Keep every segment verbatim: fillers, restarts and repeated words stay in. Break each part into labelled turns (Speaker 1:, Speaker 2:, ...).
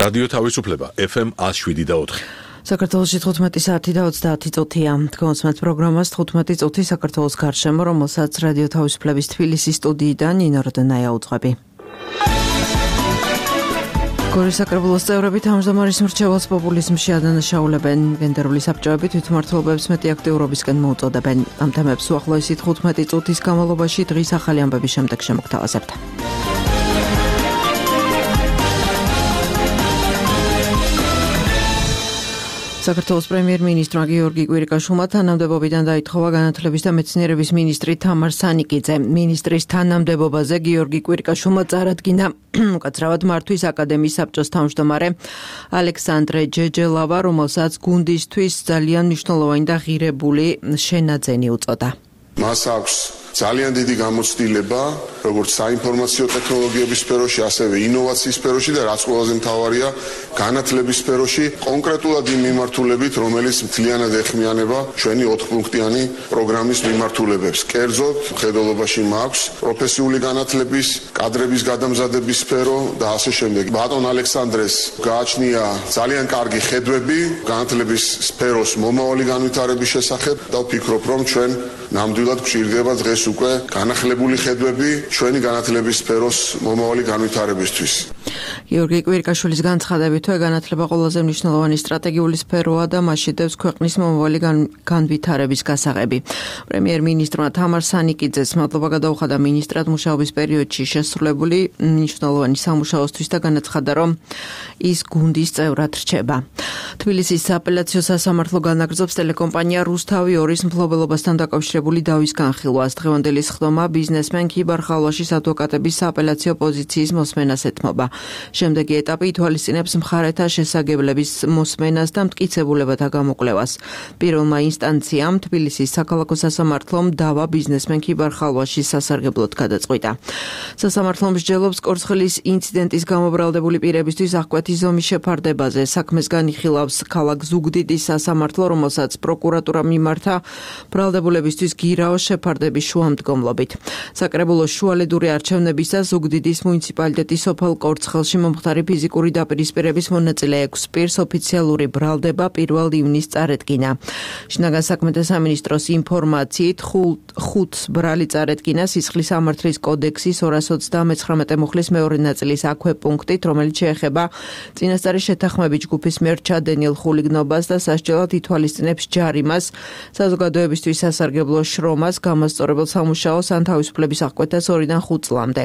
Speaker 1: რადიო თავისუფლება ეფ ემ ათს შვიდი და ოთხი.
Speaker 2: საქართველოში თხუთმეტი საათი და ოცდაათი წუთია. თქვენს პროგრამას თხუთმეტი წუთი საქართველოს გარშემო, რომელსაც რადიო თავისუფლების თბილისის სტუდიიდან ნინო როდონაია უძღვები. გორის საკრებულოს წევრები თავმჯდომარის მრჩეველს პოპულიზმში ადანაშაულებენ. გენდერული საბჭოები თვითმმართველობებს მეტი აქტიურობისკენ მოუწოდებენ. ამ თემებს უახლოესი თხუთმეტი წუთის განმავლობაში დღის ახალი ამბების შემდეგ შემოგთავაზებთ. საქართველოს პრემიერ-მინისტრმა გიორგი კვირიკაშვილმა თანამდებობიდან დაითხოვა განათლების და მეცნიერების მინისტრი თამარ სანიკიძე. მინისტრის თანამდებობაზე გიორგი კვირიკაშვილმა წარადგინა უკაცრავად მართვის აკადემიის საბჭოს თავმჯდომარე ალექსანდრე ჯეჯელავა, რომელსაც გუნდისთვის ძალიან მნიშვნელოვანი და ღირებული შენაძენი უწოდა.
Speaker 3: მას აქვს ძალიან დიდი გამოცდილება, როგორც საინფორმაციო ტექნოლოგიების სფეროში, ასევე ინოვაციის სფეროში და რაც ყველაზე მთავარია, განათლების სფეროში, კონკრეტულად იმ მიმართულებით, რომელიც მთლიანად ეხმიანება ჩვენი ოთხპუნქტიანი პროგრამის მიმართულებებს. კერძოდ, მხედველობაში მაქვს პროფესიული განათლების, კადრების გადამზადების სფერო და ასე შემდეგ. ბატონ ალექსანდრეს გააჩნია ძალიან კარგი ხედვები განათლების სფეროს მომავალი განვითარების შესახებ და ვფიქრობ, რომ ჩვენ ნამდვილად გვჭირდება დღეს უკვე განახლებული ხედვები ჩვენი განათლების სფეროს მომავალი განვითარებისთვის.
Speaker 2: გიორგი კვირიკაშვილის განცხადებით, განათლება ყველაზე მნიშვნელოვანი სტრატეგიული სფეროა და მასში დევს ქვეყნის მომავალი განვითარების გასაღები. პრემიერ-მინისტრმა თამარ სანიკიძეს მადლობა გადაუხადა მინისტრად მუშაობის პერიოდში შესრულებული მნიშვნელოვანი სამუშაოსთვის და განაცხადა, რომ ის გუნდის წევრად რჩება. თბილისის სააპელაციო სასამართლო განაგრძობს ტელეკომპანია რუსთავი ორის მფლობელობასთან დაკავშირებული დავის განხილვას. დღევანდელი სხდომა ბიზნესმენ ქიბარ ხალვაშის ადვოკატების სააპელაციო პოზიციის მოსმენას ეთმობა. შემდეგი ეტაპი ითვალისწინებს მხარეთა შესაგებლების მოსმენას და მტკიცებულებათა გამოკვლევას. პირველმა ინსტანციამ თბილისის საქალაქო სასამართლომ დავა ბიზნესმენ ქიბარ ხალვაშის სასარგებლოდ გადაწყვიტა. სასამართლომ მსჯელობს კორცხლის ინციდენტის გამობრალდებული პირებისთვის აღკვეთი ზომის შეფარდებაზე. საქმეს განიხილავს ქალაქ ზუგდიდის სასამართლო, რომელსაც პროკურატურა მიმართა ბრალდებულებისთვის გირაოს შეფარდების შუამდგომლობით. საკრებულოს შუალედური არჩევნებისა ზუგდიდის მუნიციპალიტეტის სოფელ კორცხელში მომხდარი ფიზიკური დაპირისპირების მონაწილე ექვს პირს ოფიციალური ბრალდება პირველ ივნისს წარედგინა. შინაგან საქმეთა სამინისტროს ინფორმაციით ხუთს ბრალი წარედგინა სისხლის სამართლის კოდექსის ორას ოცდამეცხრამეტე მუხლის მეორე ნაწილის აქვე პუნქტით, რომელიც შეეხება წინასწარი შეთანხმებით ჯგუფის მიერ ჩადენილ ხულიგნობას და სასჯელად ითვალისწინებს ჯარიმას, საზოგადოებისთვის სასარგებლო შრომას, გამასწორებელ სამუშაოს ან თავისუფლების აღკვეთას ორიდან ხუთ წლამდე.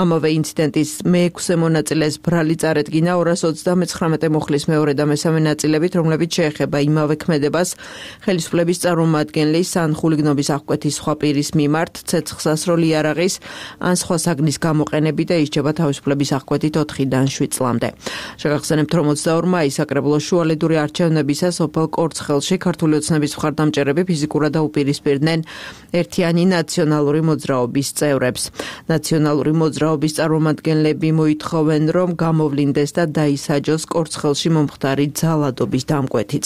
Speaker 2: ამავე ინციდენტის მეექვსე მონაწილეს ბრალი წარედგინა ორას ოცდამეცხრამეტე მუხლის მეორე და მესამე ნაწილებით, რომლებიც შეეხება იმავე ქმედებას ხელისუფლების წარმომადგენლის ან ხულიგნობის აღკვეთის სხვა პირის მიმართ, ცეცხლსასროლ იარაღის ან სხვა საგნის გამოყენებით და ისჯება თავისუფლების აღკვეთით ოთხიდან შვიდ წლამდე. შეგახსენებთ, რომ ოცდაორ მაისს საკრებულოს შუალედური არჩევნებისა სოფელ კორცხელში ქართული ოცნების მხარდამჭერები ფიზიკურად დაუპირისპირდნენ ერთიანი ნაციონალური მოძრაობის წევრებს. ნაციონალური მოძრაობის წარმომადგენლები მოითხოვენ, რომ გამოვლინდეს და დაისაჯოს კორცხელში მომხდარი ძალადობის დამკვეთიც.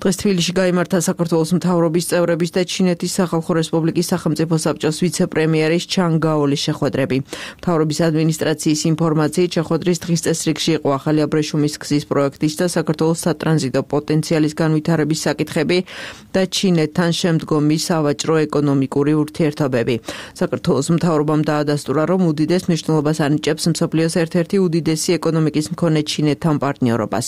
Speaker 2: დღეს თბილისში გაიმართა საქართველოს მთავრობის წევრების და ჩინეთის სახალხო რესპუბლიკის სახელმწიფო საბჭოს ვიცე-პრემიერის ჩან გაოლის შეხვედრები. მთავრობის ადმინისტრაციის ინფორმაციით შეხვედრის დღის წესრიგში იყო ახალი აბრეშუმის გზის პროექტის და საქართველოს სატრანზიტო პოტენციალის განვითარების საკითხები და ჩინეთთან შემდგომი სავაჭრო ეკონომიკური ურთიერთობები. საქართველოს მთავრობამ დაადასტურა, რომ უდიდეს მნიშვნელობას ანიჭებს მსოფლიოს ერთ-ერთი უდიდესი ეკონომიკის მქონე ჩინეთთან პარტნიორობას.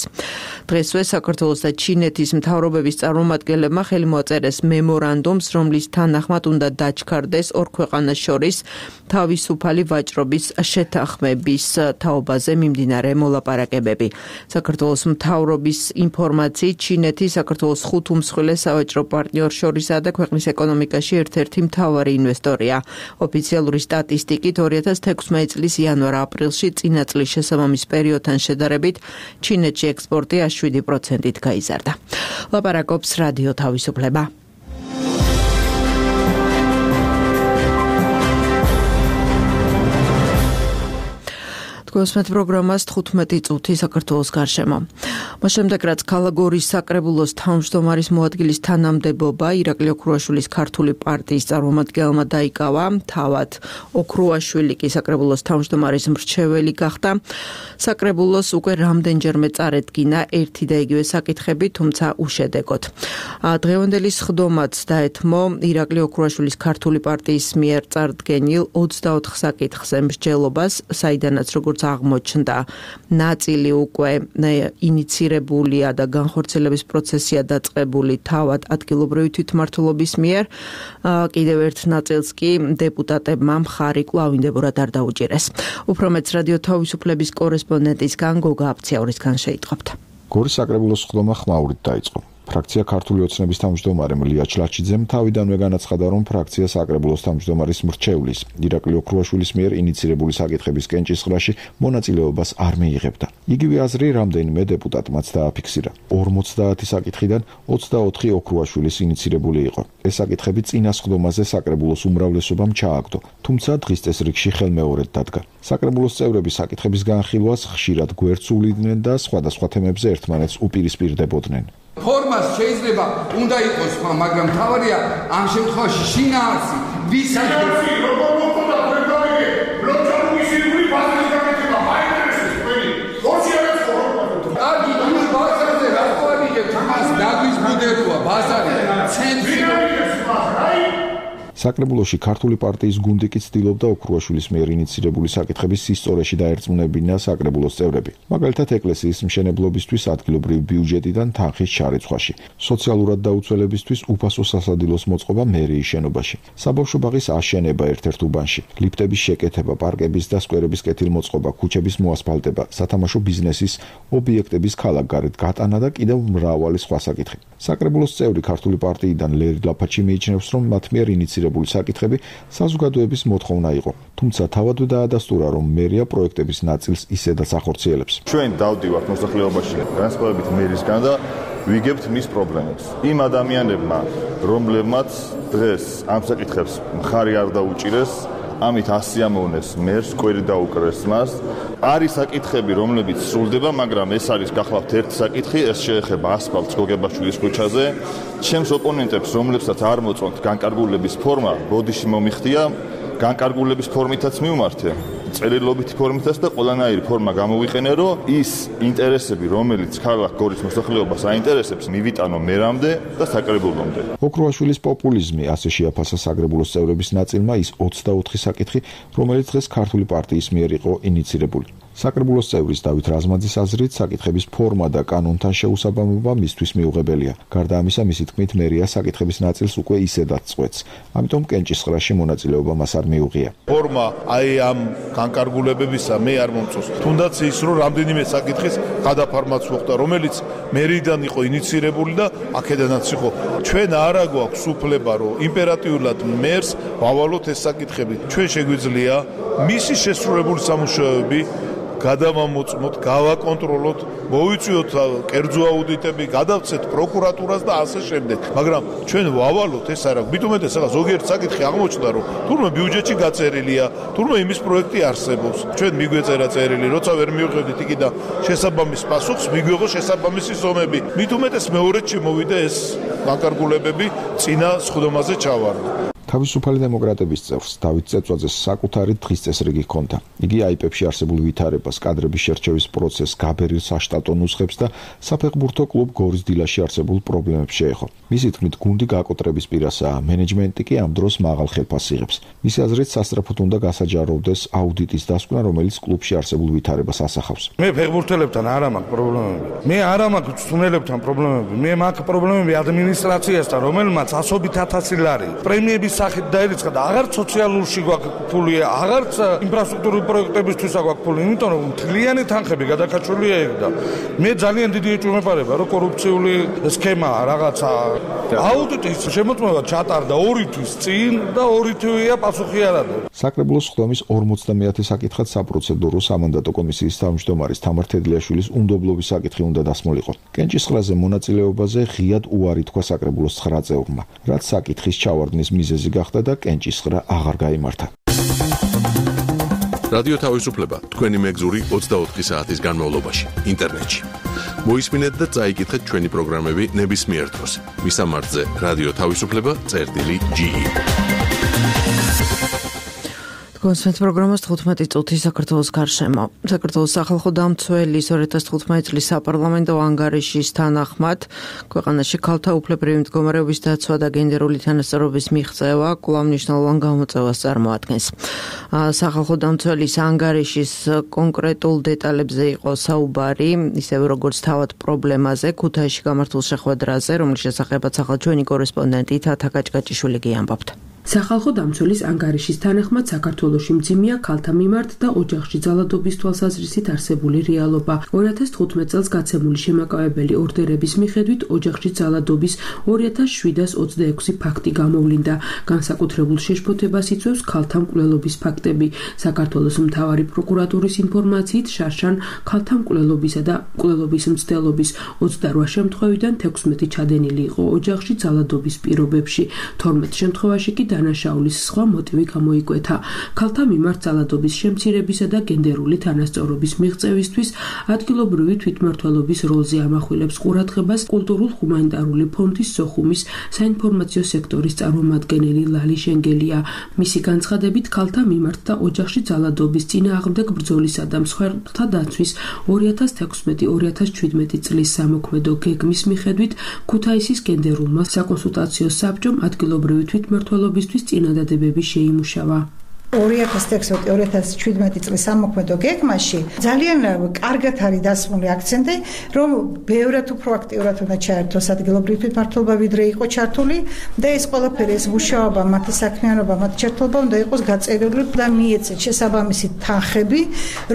Speaker 2: დღესვე საქართველოს და ჩინეთის მთავრობების წარმომადგენლებმა ხელი მოაწერეს მემორანდუმს, რომლის თანახმად უნდა დაჩქარდეს ორ ქვეყანას შორის თავისუფალი ვაჭრობის შეთანხმების თაობაზე მიმდინარე მოლაპარაკებები. საქართველოს მთავრობის ინფორმაციით, ჩინეთი საქართველოს ხუთ უმსხვილეს სავაჭრო პარტნიორს შორისაა და ქვეყნის ეკონომიკაში ერთ-ერთი მთავარი ინვესტორია. ოფიციალური სტატისტიკით ორი ათას თექვსმეტი წლის იანვარ-აპრილში წინა წლის შესაბამის პერიოდთან შედარებით ჩინეთში ექსპორტი შვიდი პროცენტით გაიზარდა. ლაპარაკობს რადიო თავისუფლება. Თქვენს პროგრამას თხუთმეტი წუთი საქართველოს გარშემო. მას შემდეგ რაც ქალაგორის საკრებულოს თავმჯდომარის მოადგილის თანამდებობა ირაკლი ოქრუაშვილის ქართული პარტიის წარმომადგენელმა დაიკავა, თავად ოქრუაშვილი კი საკრებულოს თავმჯდომარის მრჩეველი გახდა. საკრებულოს უკვე რამდენჯერმე წარედგინა ერთი და იგივე საკითხები, თუმცა უშედეგოდ. დღევანდელი სხდომაც დაეთმო ირაკლი ოქრუაშვილის ქართული პარტიის მიერ წარდგენილ ოცდაოთხ საკითხზე მსჯელობას, საიდანაც როგორც აღმოჩნდა, ნაწილი უკვე ინიცირებულია და განხორციელების პროცესია დაწყებული თავად ადგილობრივი თვითმმართველობის მიერ, კიდევ ერთ ნაწილს კი დეპუტატებმა მხარი კვლავინდებურად არ დაუჭირეს. უფრო მეც რადიო თავისუფლების კორესპონდენტისგან გოგა აფციაურისგან შეიტყობთ.
Speaker 4: გორის საკრებულოს სხდომა ხმაურით დაიწყო. ფრაქცია ქართული ოცნების თავმჯდომარემ ლია ჩლაჩიძემ თავიდანვე განაცხადა, რომ ფრაქცია საკრებულოს თავმჯდომარის მრჩევლის ირაკლი ოქრუაშვილის მიერ ინიცირებული საკითხების კენჭისყრაში მონაწილეობას არ მიიღებდა. იგივე აზრი რამდენიმე დეპუტატმაც დააფიქსირა. ორმოცდაათი საკითხიდან ოცდაოთხი ოქრუაშვილის ინიცირებული იყო. ეს საკითხები წინა სხდომაზე საკრებულოს უმრავლესობამ ჩააგდო, თუმცა დღის წესრიგში ხელმეორედ დადგა. საკრებულოს წევრები საკითხების განხილვას ხშირად გვერდს უვლიდნენ და სხვადასხვა თემებზე ერთმანეთს უპირისპირდებოდნენ.
Speaker 5: ფორმას შეიძლება უნდა იყოს, მაგრამ თავარია ამ შემთხვევაში შინაარსი, ვის
Speaker 6: შინაარსი როგორ მოხდა პროგრამები, ლოჯარული ბაზრის გაკეთება, მაინტერესებს ყველი. როცა არის პროგრამა.
Speaker 5: კარგი, ის ბაზარზე რა ყვარიგებთ, მას დაგვიზბუდეროა ბაზარი, ცენტრი.
Speaker 4: საკრებულოში ქართული პარტიის გუნდი კი ცდილობდა ოქრუაშვილის მიერ ინიცირებული საკითხების სისწორეში დაერწმუნებინა საკრებულოს წევრები. მაგალითად, ეკლესიის მშენებლობისთვის ადგილობრივი ბიუჯეტიდან თანხის ჩარეცხვაში, სოციალურად დაუცველებისთვის უფასო სასადილოს მოწყობა მერიის შენობაში, საბავშვო ბაღის აშენება ერთ-ერთ უბანში, ლიფტების შეკეთება, პარკების და სკვერების კეთილმოწყობა, ქუჩების მოასფალტება, სათამაშო ბიზნესის ობიექტების ქალაქგარეთ გატანა და კიდევ მრავალი სხვა საკითხი. საკრებულოს წევრი ქართული პარტიიდან ლერი ლაფაჩი მიიჩნევს, რომ მათ მიერ ინიცირებული საკითხები საზოგადოების მოთხოვნა იყო, თუმცა თავადვე დაადასტურა, რომ მერია პროექტების ნაწილს ისედაც ახორციელებს.
Speaker 6: ჩვენ დავდივართ მოსახლეობაში განსხვავებით მერისგან და ვიგებთ მის პრობლემებს. იმ ადამიანებმა, რომლებმაც დღეს ამ საკითხებს მხარი არ დაუჭირეს, ამით ასიამოვნეს მერს, კვერი დაუკრეს მას. არის საკითხები, რომლებიც სრულდება, მაგრამ ეს არის გახლავთ ერთი საკითხი, ეს შეეხება ასფალტს გოგებაშვილის ქუჩაზე. ჩემს ოპონენტებს, რომლებსაც არ მოწონთ განკარგულების ფორმა, ბოდიში მომიხდია, განკარგულების ფორმითაც მივმართე. წერილობითი ფორმითაც და ყველანაირი ფორმა გამოვიყენე, რომ ის ინტერესები, რომელიც ქალაქ გორის მოსახლეობას აინტერესებს, მივიტანო მერამდე და საკრებულომდე.
Speaker 4: ოქრუაშვილის პოპულიზმი ასე შეაფასა საკრებულოს წევრების ნაწილმა ის ოცდაოთხი საკითხი, რომელიც დღეს ქართული პარტიის მიერ იყო ინიცირებული. საკრებულოს წევრის დავით რაზმაძის აზრით, საკითხების ფორმა და კანონთან შეუსაბამობა მისთვის მიუღებელია. გარდა ამისა, მისი თქმით, მერია საკითხების ნაწილს უკვე ისედაც წყვეტს, ამიტომ კენჭისყრაში მონაწილეობა მას არ მიუღია.
Speaker 7: ფორმა აი ამ განკარგულებებისა მე არ მომწონს. თუნდაც ის, რომ რამდენიმე საკითხის გადაფარმაც მოხდა, რომელიც მერიდან იყო ინიცირებული და აქედანაც იყო. ჩვენ არა გვაქვს უფლება, რომ იმპერატიულად მერს ვავალოთ ეს საკითხები. ჩვენ შეგვიძლია მისი შესრულებული სამუშაოები გადავამოწმოთ, გავაკონტროლოთ, მოვიწვიოთ კერძო აუდიტები, გადავცეთ პროკურატურას და ასე შემდეგ. მაგრამ ჩვენ ვავალოთ ეს არა. მithumetes ახლა ზოგიერთ საკითხი აღმოჩნდა, რომ თურმე ბიუჯეტში გაწერილია, თურმე იმის პროექტი არსებობს. ჩვენ მიგვეწერა წერილი, როცა ვერ მივხვდით იქიდან შესაბამის პასუხს, მიგვიღო შესაბამისი ზომები. მithumetes მეორედ შემოვიდა ეს განკარგულებები წინა სხდომაზე ჩავარდა.
Speaker 4: თავისუფალი დემოკრატების წევრს დავით წეწვაძეს საკუთარი დღის წესრიგი ჰქონდა. იგი აიპებში არსებულ ვითარებას, კადრების შერჩევის პროცესს, გაბერილ საშტატო ნუსხებს და საფეხბურთო კლუბ გორის დილაში არსებულ პრობლემებს შეეხო. მისი თქმით, გუნდი გაკოტრების პირასაა, მენეჯმენტი კი ამ დროს მაღალ ხელფასს იღებს. მისი აზრით, სასწრაფოდ უნდა გასაჯაროვდეს აუდიტის დასკვნა, რომელიც კლუბში არსებულ ვითარებას ასახავს.
Speaker 7: მე ფეხბურთელებთან არ მაქვს პრობლემები. მე არ მაქვს მწვრთნელებთან პრობლემები. მე მაქვს პრობლემები ადმინისტრაციასთან, რომელმაც ასობით ათასი ლარი პრემიების სახით დაერიცხა და აღარც სოციალურში გვაქვს ფული, აღარც ინფრასტრუქტურული პროექტებისთვის გვაქვს ფული, იმიტომ რომ მთლიანი თანხები გადაკაჩულია ეგ და მე ძალიან დიდი ეჭვმეპარება, რომ კორუფციული სქემა რაღაცა აუდიტის შემოწმება ჩატარდა ორი თვის წინ და ორი თვეა პასუხი არ ადა.
Speaker 4: საკრებულოს სხდომის ორმოცდამეათე საკითხად საპროცედურო სამანდატო კომისიის თავმჯდომარის თამარ თედლიაშვილის უნდობლობის საკითხი უნდა დასმულიყო. კენჭისყრაზე მონაწილეობაზე ღიად უარი თქვა საკრებულოს ცხრა წევრმა, რაც საკითხის ჩავარდნის მიზეზი გახდა და კენჭისყრა აღარ გაიმართა.
Speaker 1: რადიო თავისუფლება თქვენი მეგზური ოცდაოთხი საათის განმავლობაში ინტერნეტში. მოისმინეთ და წაიკითხეთ ჩვენი პროგრამები ნებისმიერ დროს. მისამართზე რადიო თავისუფლება წერტილი ჯი ი.
Speaker 2: კონსვენც პროგრამას თხუთმეტი წუთი საქართველოს გარშემო. საქართველოს სახალხო დამცველის ორი ათას თხუთმეტი წლის საპარლამენტო ანგარიშის თანახმად ქვეყანაში ქალთა უფლებრივი მდგომარეობის დაცვა და გენდერული თანასწორობის მიღწევა კვლავ მნიშვნელოვან გამოწვევას წარმოადგენს. სახალხო დამცველის ანგარიშის კონკრეტულ დეტალებზე იყო საუბარი, ისევე როგორც თავად პრობლემაზე, ქუთაისში გამართულ შეხვედრაზე, რომლის შესახებაც ახლა ჩვენი კორესპონდენტი თათა კაჭკაჭიშვილი გიამბობთ.
Speaker 8: სახალხო დამცველის ანგარიშის თანახმად საქართველოში მძიმეა ქალთა მიმართ და ოჯახში ძალადობის თვალსაზრისით არსებული რეალობა. ორი ათას თხუთმეტ წელს გაცემული შემაკავებელი ორდერების მიხედვით ოჯახში ძალადობის ორი ათას შვიდას ოცდაექვსი ფაქტი გამოვლინდა. განსაკუთრებულ შეშფოთებას იწვევს ქალთა მკვლელობის ფაქტები. საქართველოს მთავარი პროკურატურის ინფორმაციით შარშან ქალთა მკვლელობისა და მკვლელობის მცდელობის ოცდარვა შემთხვევიდან თექვსმეტი ჩადენილი იყო ოჯახში ძალადობის პირობებში. თორმეტ შემთხვევაში კი დანაშაულის სხვა მოტივი გამოიკვეთა. ქალთა მიმართ ძალადობის შემცირებისა და გენდერული თანასწორობის მიღწევისთვის ადგილობრივი თვითმმართველობის როლზე ამახვილებს ყურადღებას კულტურულ-ჰუმანიტარული ფონდის სოხუმის საინფორმაციო სექტორის წარმომადგენელი ლალი შენგელია. მისი განცხადებით, ქალთა მიმართ და ოჯახში ძალადობის წინააღმდეგ ბრძოლისა და მსხვერპლთა დაცვის ორი ათას თექვსმეტი ორი ათას შვიდმეტი წლის სამოქმედო გეგმის მიხედვით ქუთაისის გენდერულმა საკონსულტაციო საბჭომ ადგილობრივი თვითმმართველობის წინადადებები შეიმუშავა.
Speaker 9: ორი ათას თექვსმეტი ორი ათას შვიდმეტი წლის სამოქმედო გეგმაში ძალიან კარგად არის დასმული აქცენტი, რომ ბევრად უფრო აქტიურად უნდა ჩაერთოს ადგილობრივი თვითმმართველობა, ვიდრე იყო ჩართული და ეს ყველაფერი, ეს მუშაობა, მათი საქმიანობა, მათი ჩართულობა უნდა იყოს გაწერილი და მიეცეთ შესაბამისი თანხები,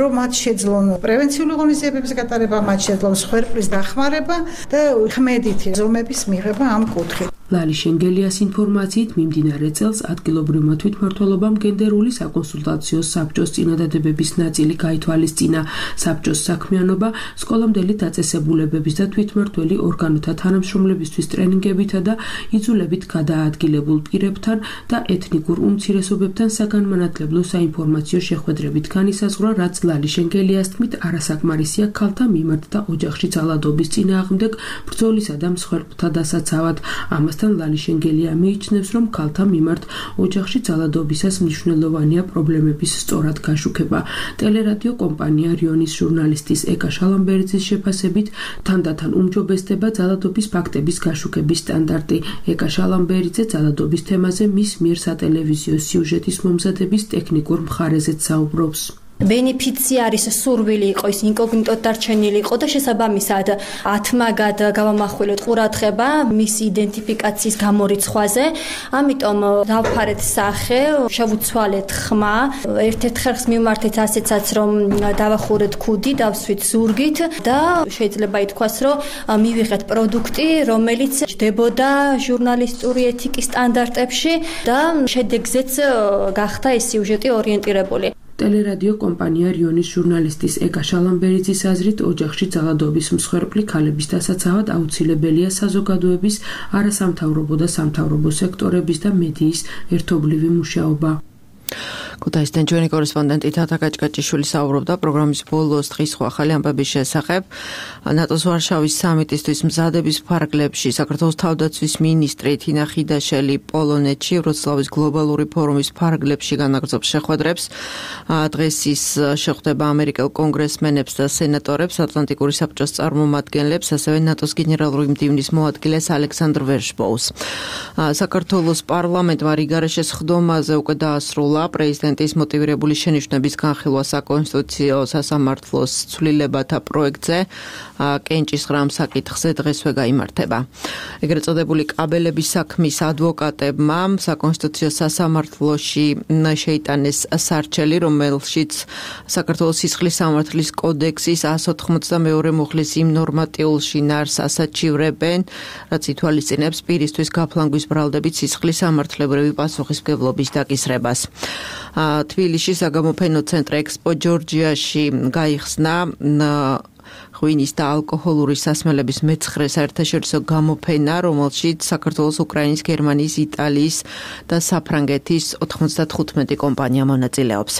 Speaker 9: რომ მათ შეძლონ პრევენციული ღონისძიებების გატარება, მათ შეძლონ მსხვერპლის დახმარება და ხმედითი ზომების მიღება ამ კუთხით.
Speaker 8: ლალი შენგელიას ინფორმაციით მიმდინარე წელს ადგილობრივმა თვითმმართველობამ გენდერული საკონსულტაციო საბჭოს წინადადებების ნაწილი გაითვალისწინა. საბჭოს საქმიანობა სკოლამდელი დაწესებულებების და თვითმმართველი ორგანოთა თანამშრომლებისთვის ტრენინგებითა და იძულებით გადაადგილებულ პირებთან და ეთნიკურ უმცირესობებთან საგანმანათლებლო საინფორმაციო შეხვედრებით განისაზღვრა, რაც ლალი შენგელიას თქმით არასაკმარისია ქალთა მიმართ და ოჯახში ძალადობის წინააღმდეგ ბრძოლისა და მსხვერპლთა დასაცავად. ამას ლალი შენგელია მიიჩნევს, რომ ქალთა მიმართ ოჯახში ძალადობისას მნიშვნელოვანია პრობლემების სწორად გაშუქება. ტელერადიო კომპანია რიონის ჟურნალისტის ეკა შალამბერიძის შეფასებით, თანდათან უმჯობესდება ძალადობის ფაქტების გაშუქების სტანდარტი. ეკა შალამბერიძე ძალადობის თემაზე მის მიერ სატელევიზიო სიუჟეტის მომზადების ტექნიკურ მხარეზეც საუბრობს.
Speaker 10: ბენეფიციარის სურვილი იყო ის ინკოგნიტოდ დარჩენილი იყო და შესაბამისად ათმაგად გავამახვილოთ ყურადღება მის იდენტიფიკაციის გამორიცხვაზე. ამიტომ დავფარეთ სახე, შევუცვალეთ ხმა, ერთ-ერთ ხერხს მივმართეთ ასეცაც, რომ დავახურეთ ქუდი, დავსვით ზურგით და შეიძლება ითქვას, რომ მივიღეთ პროდუქტი, რომელიც ჯდებოდა ჟურნალისტური ეთიკის სტანდარტებში და შედეგზეც გახდა ეს სიუჟეტი ორიენტირებული.
Speaker 8: ტელერადიო კომპანია რიონის ჟურნალისტის ეკა შალამბერიძის აზრით, ოჯახში ძალადობის მსხვერპლი ქალების დასაცავად აუცილებელია საზოგადოების, არასამთავრობო და სამთავრობო სექტორების და მედიის ერთობლივი მუშაობა.
Speaker 2: ქუთაისიდან ჩვენი კორესპონდენტი თათა კაჭკაჭიშვილი საუბრობდა პროგრამის ბოლოს დღის სხვა ახალი ამბების შესახებ. ნატოს ვარშავის სამიტისთვის მზადების ფარგლებში საქართველოს თავდაცვის მინისტრი თინა ხიდაშელი პოლონეთში ვროცლავის გლობალური ფორუმის ფარგლებში განაგრძობს შეხვედრებს. დღეს ის შეხვდება ამერიკელ კონგრესმენებს და სენატორებს, ატლანტიკური საბჭოს წარმომადგენლებს, ასევე ნატოს გენერალური მდივნის მოადგილეს ალექსანდრ ვერშბოუს. საქართველოს პარლამენტმა რიგარეშე სხდომაზე უკვე დაასრულა პრეზიდენტის მოტივირებული შენიშვნების განხილვა საკონსტიტუციო სასამართლოს ცვლილებათა პროექტზე. კენჭის ღრამ საკითხზე დღესვე გაიმართება. ეგრეთ წოდებული კაბელების საქმის ადვოკატებმა საკონსტიტუციო სასამართლოში შეიტანეს სარჩელი, რომელშიც საქართველოს სისხლის სამართლის კოდექსის εκατს ოთხმოცდამეორე მუხლის იმ ნორმატიულ შინაარსს ასაჩივრებენ, რაც ითვალისწინებს პირისთვის გაფლანგვის ბრალდებით სისხლის სამართლებრივი პასუხისმგებლობის დაკისრებას. თბილისში საგამოფენო ცენტრ ექსპო ჯორჯიაში გაიხსნა ღვინის და ალკოჰოლური სასმელების მეცხრე საერთაშორისო გამოფენა, რომელშიც საქართველოს, უკრაინის, გერმანიის, იტალიის და საფრანგეთის ოთხმოცდათხუთმეტი კომპანია მონაწილეობს.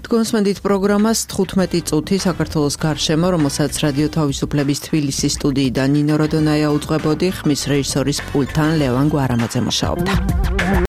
Speaker 2: თქვენსმენდით პროგრამას თხუთმეტი წუთი საქართველოს გარშემო, რომელსაც რადიო თავისუფლების თბილისის სტუდიიდან ნინო როდონაია უძღვებოდი, ხმის რეჟისორის პულტთან ლევან გვარამაძე მუშაობდა.